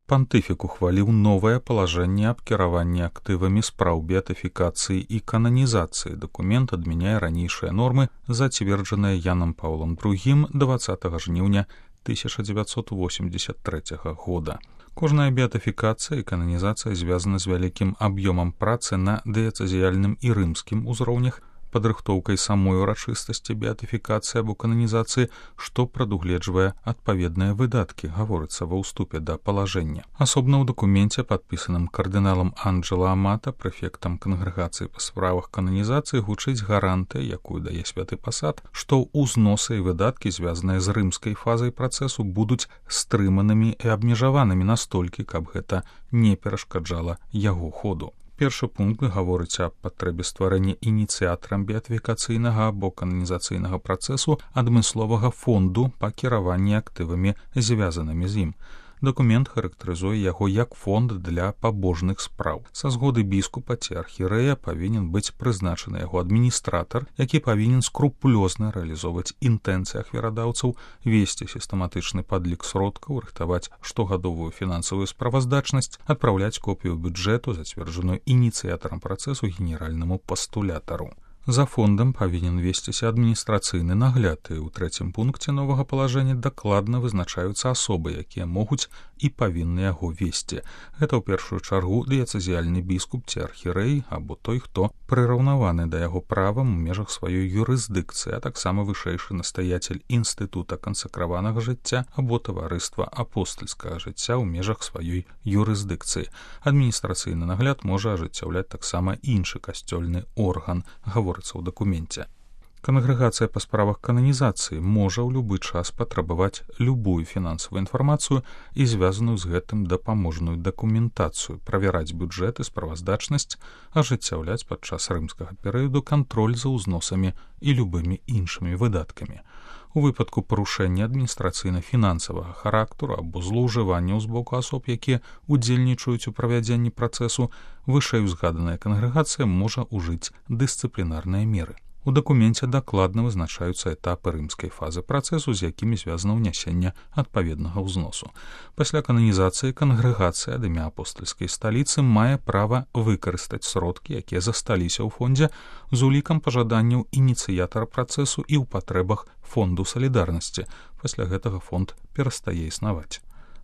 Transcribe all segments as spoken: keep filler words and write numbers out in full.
Пантыфік ухваліў новае палажэнне аб кіраванні актывамі спраў беатыфікацыі і кананізацыі. Дакумент адмяняе ранейшыя нормы, зацверджаныя Янам Паўлам другім дваццатага жніўня тысяча дзевяцьсот восемьдесят трэцяга года. Кожная беатыфікацыя і кананізацыя звязана з вялікім аб'ёмам працы на дыяцэзіяльным і рымскім узроўнях, падрыхтоўкай самой урачыстасці беатыфікацыі або кананізацыі, што прадугледжвае адпаведныя выдаткі, гаворыцца ва ўступе да палажэння. Асобна ў дакуменце, падпісаным кардыналам Анджела Амата, прэфектам кангрэгацыі па справах кананізацыі, гучыць гарантыя, якую дае святы пасад, што ўзносы і выдаткі, звязаныя з рымскай фазай працэсу, будуць стрыманымі і абмежаванымі настолькі, каб гэта не перашкаджала яго ходу. Першы пункт гаворыць аб патрэбе стварэння ініцыятарам беатыфікацыйнага або кананізацыйнага працэсу адмысловага фонду па кіраванні актывамі, звязанымі з ім. Дакумент характарызуе яго як фонд для пабожных спраў. Са згоды біскупа ці архірэя павінен быць прызначаны яго адміністратар, які павінен скрупулёзна рэалізоўваць інтэнцыі ахвярадаўцаў, весці сістэматычны падлік сродкаў, рыхтаваць штогадовую фінансавую справаздачнасць, адпраўляць копію бюджэту, зацверджаную ініцыятарам працэсу, генеральнаму пастулятару. За фондам павінен весціся адміністрацыйны нагляд, і ў трэцім пункце новага палажэння дакладна вызначаюцца асобы, якія могуць і павінны яго весці. Гэта ў першую чаргу дыяцэзіяльны біскуп ці архірэй або той, хто прыраўнаваны да яго правам у межах сваёй юрысдыкцыі, а таксама вышэйшы настаяцель інстытута кансакраванага жыцця або таварыства апостальскага жыцця ў межах сваёй юрысдыкцыі. Адміністрацыйны нагляд можа ажыццяўляць таксама іншы касцёльны орган, гаворыцца ў дакуменце. Кангрэгацыя па справах кананізацыі можа ў любы час патрабаваць любую фінансавую інфармацыю і звязаную з гэтым дапаможную дакументацыю, правяраць бюджэт і справаздачнасць, ажыццяўляць падчас рымскага перыяду кантроль за ўзносамі і любымі іншымі выдаткамі. У выпадку парушэння адміністрацыйна-фінансавага характару або злоўжыванняў з боку асоб, якія удзельнічаюць у правядзенні працэсу, вышэйузгаданая кангрэгацыя можа ўжыць дысцыплінарныя меры. У дакуменце дакладна вызначаюцца этапы рымскай фазы працэсу, з якімі звязана ўнясенне адпаведнага ўзносу. Пасля кананізацыі кангрэгацыя ад імя апостальскай сталіцы мае права выкарыстаць сродкі, якія засталіся ў фондзе, з улікам пажаданняў ініцыятара працэсу і ў патрэбах фонду салідарнасці. Пасля гэтага фонд перастае існаваць.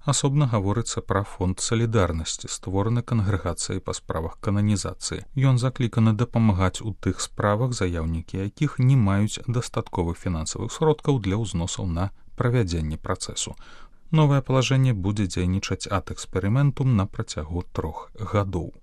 Асобна гаворыцца пра фонд салідарнасці, створаны кангрэгацыяй па справах кананізацыі. Ён закліканы дапамагаць у тых справах, заяўнікі якіх не маюць дастатковых фінансавых сродкаў для ўзносаў на правядзенне працэсу. Новае палажэнне будзе дзейнічаць ад эксперыментум на працягу трох гадоў.